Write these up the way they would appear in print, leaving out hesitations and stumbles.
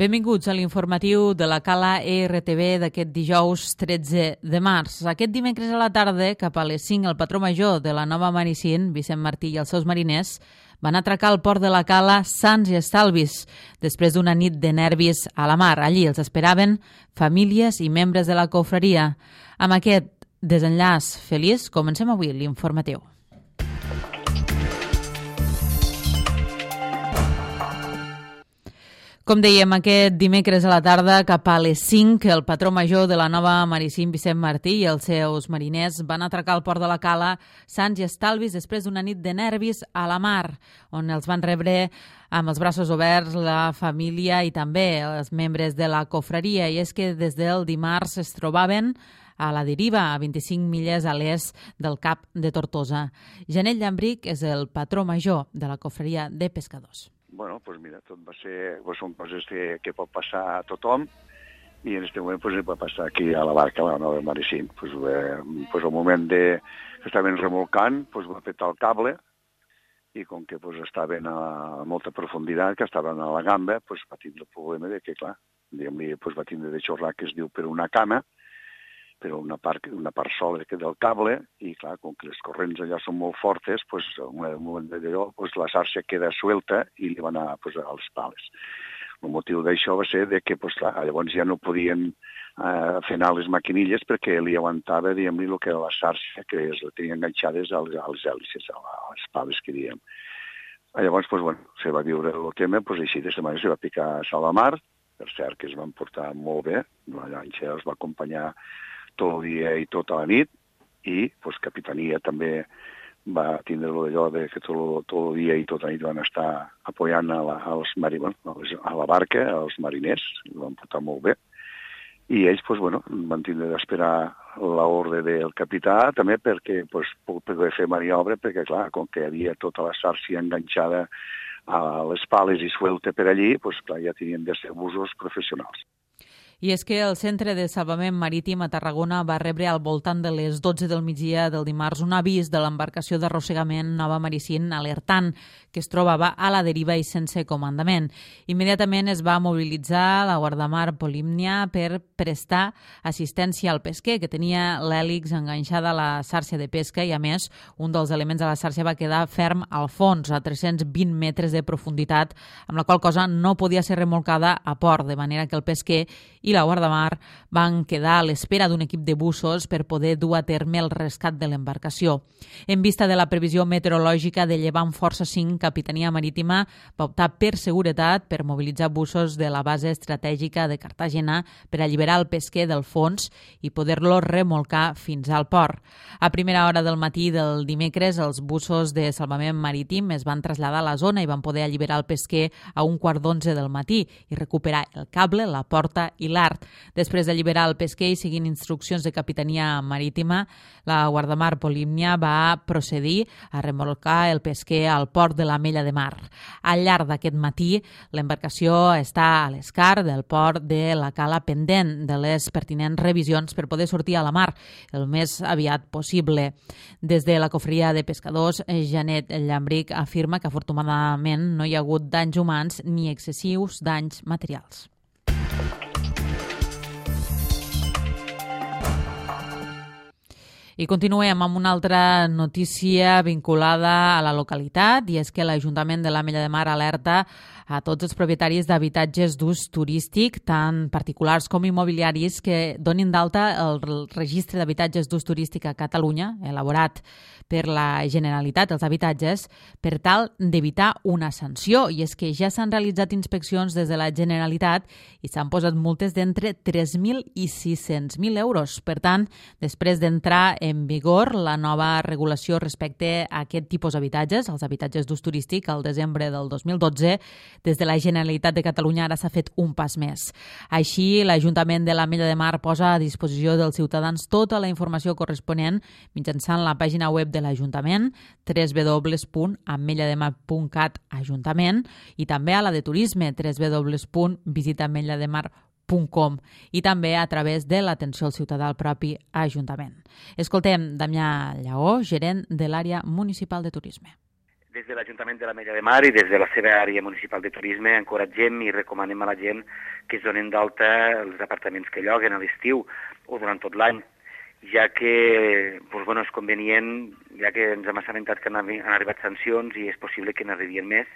Benvinguts a l'informatiu de la Cala ERTV d'aquest dijous 13 de març. Aquest dimecres a la tarda, cap a les 5, el patró major de la Nova Maricín, Vicent Martí, i els seus mariners van atracar al port de la Cala sans i estalvis, després d'una nit de nervis a la mar. Allí els esperaven famílies i membres de la confraria. Amb aquest desenllaç feliç, comencem avui l'informatiu. Com dèiem, aquest dimecres a la tarda, cap a les 5, el patró major de la Nova Maricín, Vicent Martí, i els seus mariners van atracar al port de la Cala sans i estalvis després d'una nit de nervis a la mar, on els van rebre amb els braços oberts la família i també els membres de la confraria. I és que des del dimarts es trobaven a la deriva, a 25 milles a l'est del Cap de Tortosa. Janet Llambric és el patró major de la confraria de pescadors. Bueno, pues mira, tot va ser, pues són coses que pot passar a tothom, i en aquest moment pues, va passar aquí a la barca, a la Nova Maricín. Pues, al moment que estaven remolcant, pues, va petar el cable, i com que pues, estaven a molta profunditat, que estaven a la gamba, pues, va tindre el problema de que, clar, pues, va tindre de xorrar, que es diu, per una cama, per una part sola del cable, i clar, com que les corrents allà són molt fortes, pues, en un moment d'allò, pues, la xarxa queda suelta i li va anar pues, a les pales. El motiu d'això va ser de que pues, clar, llavors ja no podien fer anar les maquinilles perquè li aguantava, diguem-li, el que era la xarxa, que es la tenien enganxades a les hèlices, a les pales que diem. Llavors, pues, bueno, se va viure el tema, pues, així de setmana se va picar a Salamar, per cert que es van portar molt bé, la llanxa els va acompanyar tot el dia i tota la nit, i pues, Capitania també va tindre allò de que tot el dia i tota la nit van estar apoyant a la barca, als mariners, i van portar molt bé. I ells pues, bueno, van tindre d'esperar l'ordre del capità també perquè pues, poder fer maniobra, perquè clar, com que hi havia tota la xarxa enganxada a les pales i suelta per allí, pues, clar, ja tenien de ser busos professionals. I és que el Centre de Salvament Marítim a Tarragona va rebre al voltant de les 12 del migdia del dimarts un avís de l'embarcació d'arrossegament Nova Maricín alertant que es trobava a la deriva i sense comandament. Immediatament es va mobilitzar la guardamar Polímnia per prestar assistència al pesquer, que tenia l'hèlix enganxada a la xarxa de pesca, i a més un dels elements de la xarxa va quedar ferm al fons, a 320 metres de profunditat, amb la qual cosa no podia ser remolcada a port, de manera que el pesquer i la guardamar van quedar a l'espera d'un equip de bussos per poder dur a terme el rescat de l'embarcació. En vista de la previsió meteorològica de llevant força 5, Capitania Marítima va optar per seguretat per mobilitzar bussos de la base estratègica de Cartagena per alliberar el pesquer del fons i poder-lo remolcar fins al port. A primera hora del matí del dimecres, els bussos de salvament marítim es van traslladar a la zona i van poder alliberar el pesquer a 1:15 del matí i recuperar el cable, la porta i l'art. Després d'alliberar el pesquer i seguint instruccions de Capitania Marítima, la guardamar Polímnia va procedir a remolcar el pesquer al port de l'Ametlla de Mar. Al llarg d'aquest matí, l'embarcació està a l'escar del port de la Cala pendent de les pertinents revisions per poder sortir a la mar el més aviat possible. Des de la confraria de pescadors, Janet Llambric afirma que afortunadament no hi ha hagut danys humans ni excessius danys materials. I continuem amb una altra notícia vinculada a la localitat, i és que l'Ajuntament de l'Ametlla de Mar alerta a tots els propietaris d'habitatges d'ús turístic, tant particulars com immobiliaris, que donin d'alta el registre d'habitatges d'ús turístic a Catalunya, elaborat per la Generalitat, els habitatges, per tal d'evitar una sanció. I és que ja s'han realitzat inspeccions des de la Generalitat i s'han posat multes d'entre 3.000 i 600.000 euros. Per tant, després d'entrar en vigor la nova regulació respecte a aquest tipus d'habitatges, els habitatges d'ús turístic, al desembre del 2012, des de la Generalitat de Catalunya ara s'ha fet un pas més. Així, l'Ajuntament de l'Ametlla de Mar posa a disposició dels ciutadans tota la informació corresponent mitjançant la pàgina web de l'Ajuntament, www.ametlademar.cat Ajuntament, i també a la de turisme, www.visitametlademar.com, i també a través de l'atenció al ciutadà al propi Ajuntament. Escoltem Damià Lleó, gerent de l'àrea municipal de turisme. Des de l'Ajuntament de l'Ametlla de Mar i des de la seva àrea municipal de turisme encoratgem i recomanem a la gent que es donen d'alta els apartaments que lloguen a l'estiu o durant tot l'any, ja que és convenient, ja que ens hem assabentat que han arribat sancions i és possible que n'arribien més,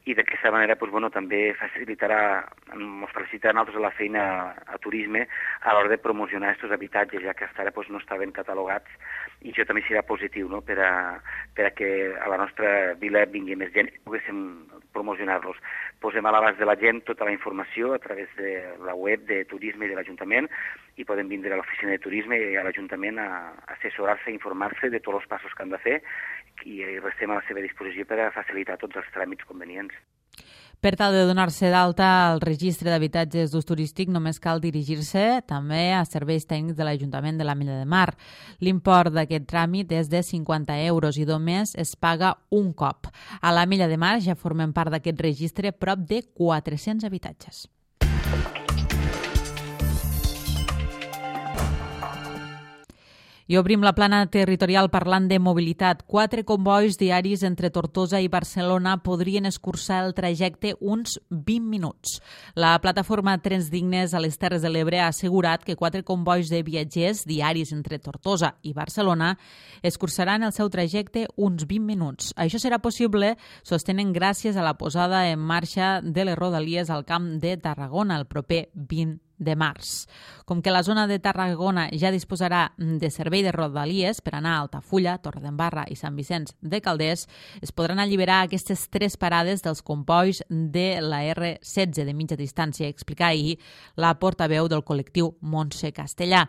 i d'aquesta manera també facilitarà a nosaltres la feina a turisme a l'hora de promocionar aquests habitatges, ja que fins ara no estaven catalogats, i això també serà positiu, no?, per a que a la nostra vila vingui més gent i poguéssim promocionar-los. Posem a l'abast de la gent tota la informació a través de la web de turisme i de l'Ajuntament, i poden vindre a l'oficina de turisme i a l'Ajuntament a assessorar-se, a informar-se de tots els passos que han de fer, i restem a la seva disposició per a facilitar tots els tràmits convenients. Per tal de donar-se d'alta al registre d'habitatges d'ús turístic, només cal dirigir-se també a serveis tècnics de l'Ajuntament de l'Ametlla de Mar. L'import d'aquest tràmit és de 50 euros i només es paga un cop. A l'Ametlla de Mar ja formen part d'aquest registre prop de 400 habitatges. I obrim la plana territorial parlant de mobilitat. 4 convois diaris entre Tortosa i Barcelona podrien escurçar el trajecte uns 20 minuts. La plataforma Trens Dignes a les Terres de l'Ebre ha assegurat que 4 convois de viatgers diaris entre Tortosa i Barcelona escurçaran el seu trajecte uns 20 minuts. Això serà possible, sostenen, gràcies a la posada en marxa de les rodalies al Camp de Tarragona el proper 20 de març. Com que la zona de Tarragona ja disposarà de servei de rodalies per anar a Altafulla, Torredembarra i Sant Vicenç de Calders, es podran alliberar aquestes 3 parades dels combois de la R16 de mitja distància, explica ahir la portaveu del col·lectiu Montse Castellà.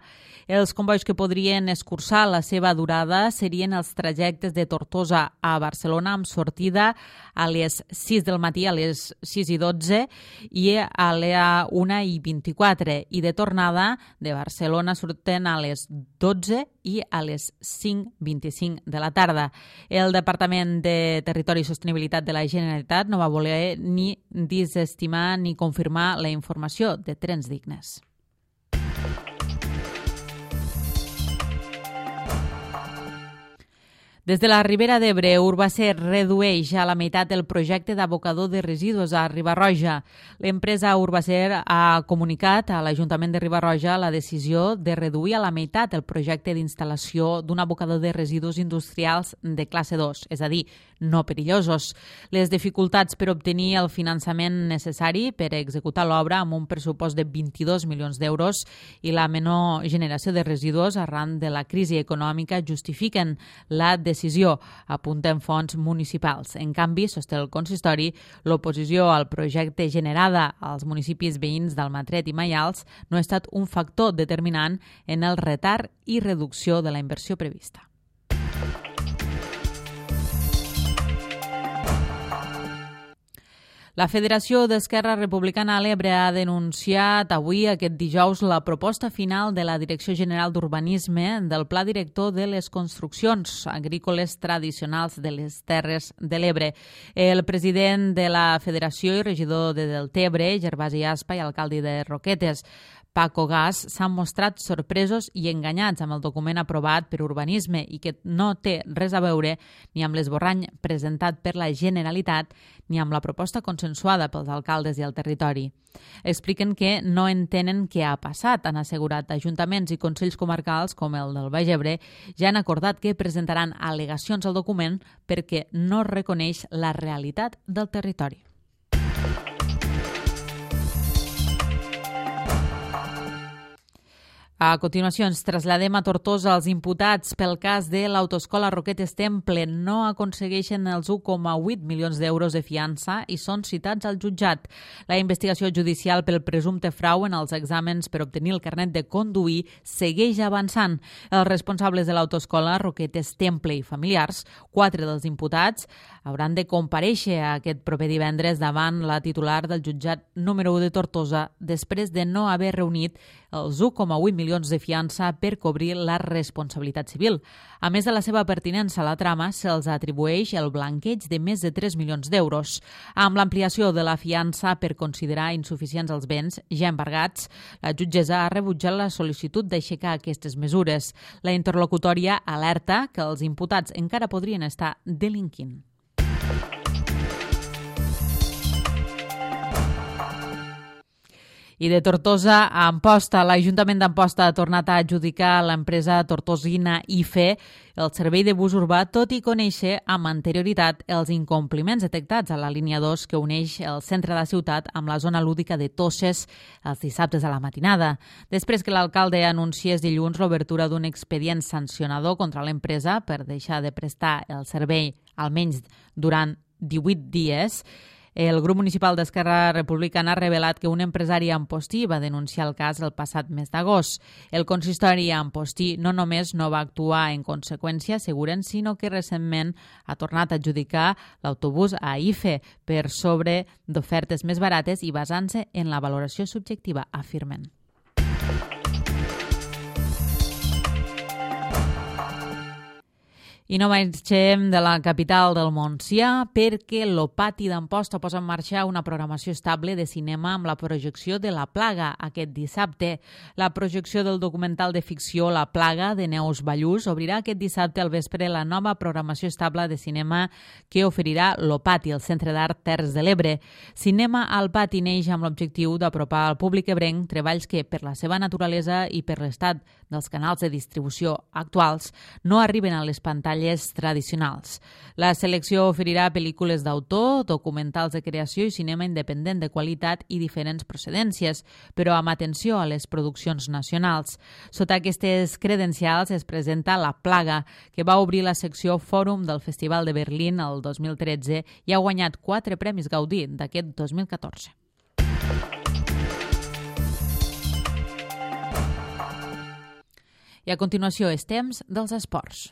Els combois que podrien escurçar la seva durada serien els trajectes de Tortosa a Barcelona amb sortida a les 6 del matí, a les 6:12 i a les 1:24, i de tornada de Barcelona surten a les 12 i a les 5:25 de la tarda. El Departament de Territori i Sostenibilitat de la Generalitat no va voler ni desestimar ni confirmar la informació de Trens Dignes. Des de la Ribera d'Ebre, Urbacer redueix a la meitat el projecte d'abocador de residus a Riba-roja. L'empresa Urbacer ha comunicat a l'Ajuntament de Riba-roja la decisió de reduir a la meitat el projecte d'instal·lació d'un abocador de residus industrials de classe 2, és a dir, no perillosos. Les dificultats per obtenir el finançament necessari per executar l'obra amb un pressupost de 22 milions d'euros i la menor generació de residus arran de la crisi econòmica justifiquen la decisió, apunten fonts municipals. En canvi, sosté el consistori, l'oposició al projecte generada als municipis veïns d'Almatret i Maials no ha estat un factor determinant en el retard i reducció de la inversió prevista. La Federació d'Esquerra Republicana a l'Ebre ha denunciat avui, aquest dijous, la proposta final de la Direcció General d'Urbanisme del Pla Director de les Construccions Agrícoles Tradicionals de les Terres de l'Ebre. El president de la Federació i regidor de Deltebre, Gervasi Aspa, i alcalde de Roquetes, Paco Gas, s'han mostrat sorpresos i enganyats amb el document aprovat per Urbanisme i que no té res a veure ni amb l'esborrany presentat per la Generalitat ni amb la proposta consensuada pels alcaldes i el territori. Expliquen que no entenen què ha passat. Han assegurat ajuntaments i consells comarcals, com el del Baix Ebre, ja han acordat que presentaran al·legacions al document perquè no reconeix la realitat del territori. A continuació ens traslladem a Tortosa. Els imputats pel cas de l'autoescola Roquetes Temple no aconsegueixen els 1,8 milions d'euros de fiança i són citats al jutjat. La investigació judicial pel presumpte frau en els exàmens per obtenir el carnet de conduir segueix avançant. Els responsables de l'autoescola Roquetes Temple i familiars, 4 dels imputats, hauran de comparèixer aquest proper divendres davant la titular del jutjat número 1 de Tortosa després de no haver reunit els 1,8 milions de fiança per cobrir la responsabilitat civil. A més de la seva pertinença a la trama, se'ls atribueix el blanqueig de més de 3 milions d'euros. Amb l'ampliació de la fiança per considerar insuficients els béns ja embargats, la jutgessa ha rebutjat la sol·licitud d'aixecar aquestes mesures. La interlocutòria alerta que els imputats encara podrien estar delinquint. I de Tortosa a Amposta, l'Ajuntament d'Amposta ha tornat a adjudicar a l'empresa tortosina IFE el servei de bus urbà, tot i conèixer amb anterioritat els incompliments detectats a la línia 2 que uneix el centre de la ciutat amb la zona lúdica de Tosses els dissabtes a la matinada. Després que l'alcalde anunciés dilluns l'obertura d'un expedient sancionador contra l'empresa per deixar de prestar el servei almenys durant 18 dies, el grup municipal d'Esquerra Republicana ha revelat que un empresari ampostí va denunciar el cas el passat mes d'agost. El consistori ampostí no només no va actuar en conseqüència, asseguren, sinó que recentment ha tornat a adjudicar l'autobús a IFE per sobre d'ofertes més barates i basant-se en la valoració subjectiva, afirmen. I no marxem de la capital del Montsià perquè l'Opati d'Amposta posa en marxa una programació estable de cinema amb la projecció de La Plaga aquest dissabte. La projecció del documental de ficció La Plaga de Neus Ballús obrirà aquest dissabte al vespre la nova programació estable de cinema que oferirà l'Opati, el Centre d'Art Terres de l'Ebre. Cinema al Pati neix amb l'objectiu d'apropar al públic ebrenc treballs que, per la seva naturalesa i per l'estat dels canals de distribució actuals, no arriben a les pantalles tradicionals. La selecció oferirà pel·lícules d'autor, documentals de creació i cinema independent de qualitat i diferents procedències, però amb atenció a les produccions nacionals. Sota aquestes credencials es presenta La Plaga, que va obrir la secció Fòrum del Festival de Berlín el 2013 i ha guanyat 4 premis Gaudí d'aquest 2014. I a continuació és temps dels esports.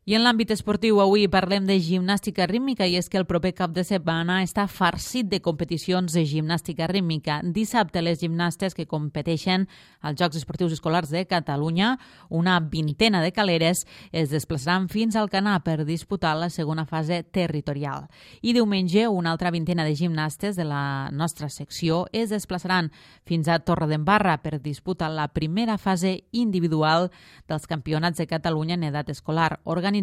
I en l'àmbit esportiu avui parlem de gimnàstica rítmica i és que el proper cap de setmana està farcit de competicions de gimnàstica rítmica. Dissabte les gimnastes que competeixen als Jocs Esportius Escolars de Catalunya, una vintena de caleres, es desplaçaran fins al Canà per disputar la segona fase territorial. I diumenge una altra vintena de gimnastes de la nostra secció es desplaçaran fins a Torredembarra per disputar la primera fase individual dels Campionats de Catalunya en edat escolar, organitzats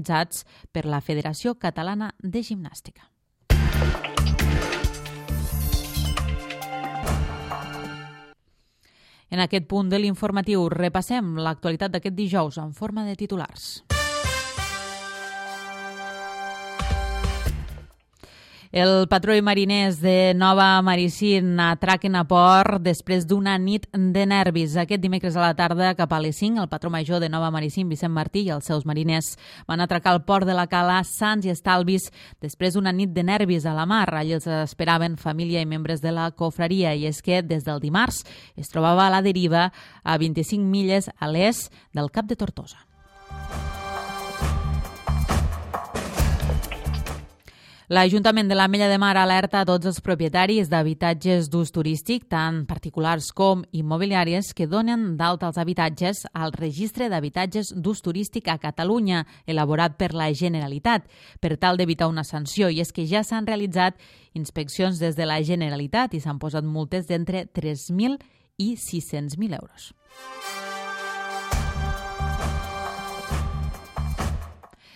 per la Federació Catalana de Gimnàstica. En aquest punt de l'informatiu repassem l'actualitat d'aquest dijous en forma de titulars. El patró i mariners de Nova Maricín atraquen a port després d'una nit de nervis. Aquest dimecres a la tarda, cap a les 5, el patró major de Nova Maricín, Vicent Martí, i els seus mariners van atracar al port de la Cala sants i estalvis després d'una nit de nervis a la mar. Allí els esperaven família i membres de la cofraria, i és que des del dimarts es trobava a la deriva a 25 milles a l'est del Cap de Tortosa. L'Ajuntament de l'Ametlla de Mar alerta a tots els propietaris d'habitatges d'ús turístic, tant particulars com immobiliàries, que donen d'alta els habitatges al Registre d'Habitatges d'Ús Turístic a Catalunya, elaborat per la Generalitat, per tal d'evitar una sanció. I és que ja s'han realitzat inspeccions des de la Generalitat i s'han posat multes d'entre 3.000 i 600.000 euros.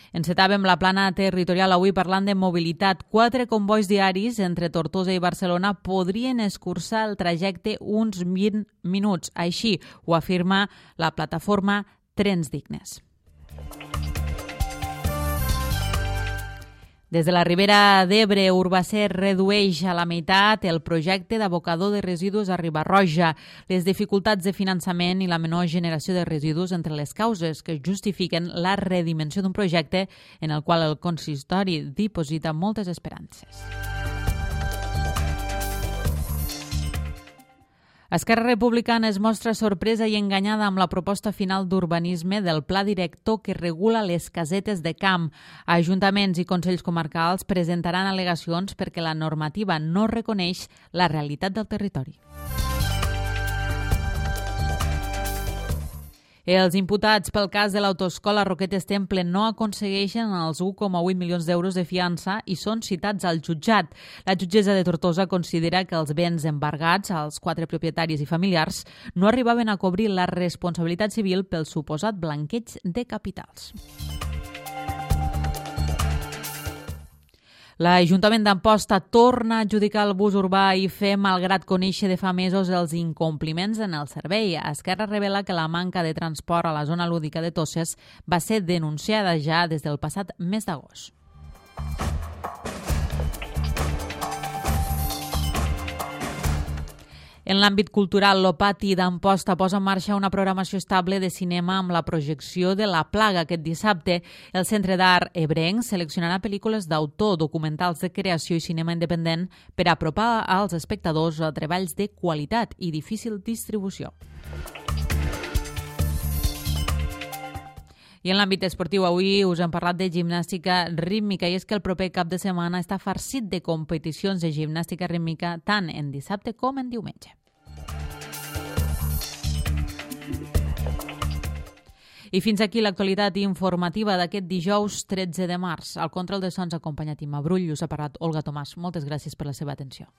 Encetàvem la plana territorial avui parlant de mobilitat. 4 convois diaris entre Tortosa i Barcelona podrien escurçar el trajecte uns 20 minuts. Així ho afirma la plataforma Trens Dignes. Des de la Ribera d'Ebre, Urbacer redueix a la meitat el projecte d'abocador de residus a Riba-roja. Les dificultats de finançament i la menor generació de residus entre les causes que justifiquen la redimensió d'un projecte en el qual el consistori diposita moltes esperances. Esquerra Republicana es mostra sorpresa i enganyada amb la proposta final d'urbanisme del pla director que regula les casetes de camp. Ajuntaments i consells comarcals presentaran al·legacions perquè la normativa no reconeix la realitat del territori. Els imputats pel cas de l'autoescola Roquetes Temple no aconsegueixen els 1,8 milions d'euros de fiança i són citats al jutjat. La jutgessa de Tortosa considera que els béns embargats als 4 propietaris i familiars no arribaven a cobrir la responsabilitat civil pel suposat blanqueig de capitals. L'Ajuntament d'Amposta torna a adjudicar el bus urbà IFE malgrat conèixer de fa mesos els incompliments en el servei. Esquerra revela que la manca de transport a la zona lúdica de Toses va ser denunciada ja des del passat mes d'agost. En l'àmbit cultural, l'Opati d'Amposta posa en marxa una programació estable de cinema amb la projecció de La Plaga aquest dissabte. El Centre d'Art Ebrenc seleccionarà pel·lícules d'autor, documentals de creació i cinema independent per apropar als espectadors a treballs de qualitat i difícil distribució. I en l'àmbit esportiu, avui us hem parlat de gimnàstica rítmica i és que el proper cap de setmana està farcit de competicions de gimnàstica rítmica tant en dissabte com en diumenge. I fins aquí l'actualitat informativa d'aquest dijous 13 de març. Al control de sons ha acompanyat Imma Brull i us ha parlat Olga Tomàs. Moltes gràcies per la seva atenció.